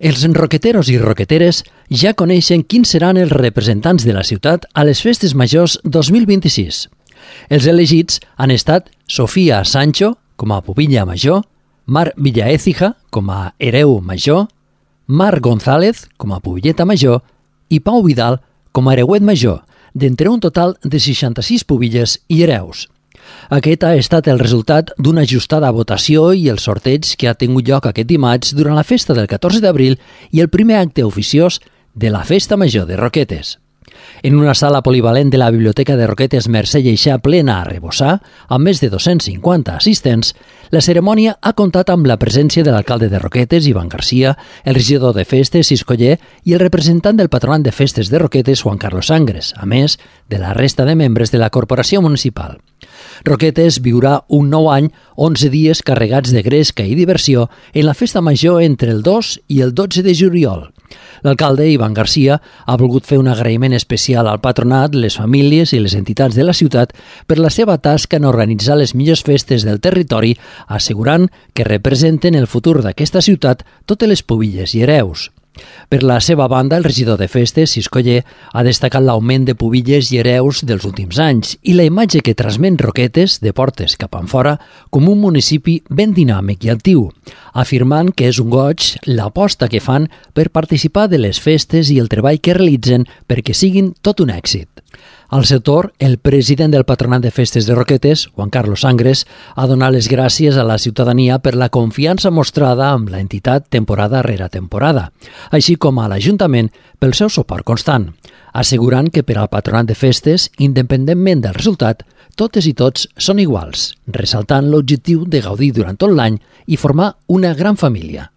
Els roqueteros i roqueteres ja coneixen quins seran els representants de la ciutat a les Festes Majors 2026. Els elegits han estat Sofía Sancho com a pubilla major, Mar Villaécija com a hereu major, Mar González com a pubilleta major i Pau Vidal com a hereuet major, d'entre un total de 66 pubilles i hereus. Aquest ha estat el resultat d'una ajustada votació i el sorteig que ha tingut lloc aquest dimarts durant la festa del 14 d'abril i el primer acte oficiós de la Festa Major de Roquetes. En una sala polivalent de la Biblioteca de Roquetes Mercè Lleixà plena a rebossar, amb més de 250 assistents, la cerimònia ha comptat amb la presència de l'alcalde de Roquetes, Ivan Garcia, el regidor de Festes, Siscoller, i el representant del patronat de Festes de Roquetes, Juan Carlos Sangres, a més de la resta de membres de la corporació municipal. Roquetes viurà un nou any, 11 dies carregats de gresca i diversió en la festa major entre el 2 i el 12 de juliol. L'alcalde, Ivan Garcia, ha volgut fer un agraïment especial al patronat, les famílies i les entitats de la ciutat per la seva tasca en organitzar les millors festes del territori, assegurant que representen el futur d'aquesta ciutat totes les pubilles i hereus. Per la seva banda, el regidor de Festes, Siscoller, ha destacat l'augment de pubilles i hereus dels últims anys i la imatge que transmet Roquetes, de portes cap enfora, com un municipi ben dinàmic i actiu, afirmant que és un goig l'aposta que fan per participar de les festes i el treball que realitzen perquè siguin tot un èxit. Al seu torn, el president del Patronat de Festes de Roquetes, Juan Carlos Sangres, ha donat les gràcies a la ciutadania per la confiança mostrada amb l'entitat temporada rere temporada, així com a l'Ajuntament pel seu suport constant, assegurant que per al Patronat de Festes, independentment del resultat, totes i tots són iguals, ressaltant l'objectiu de gaudir durant tot l'any i formar una gran família.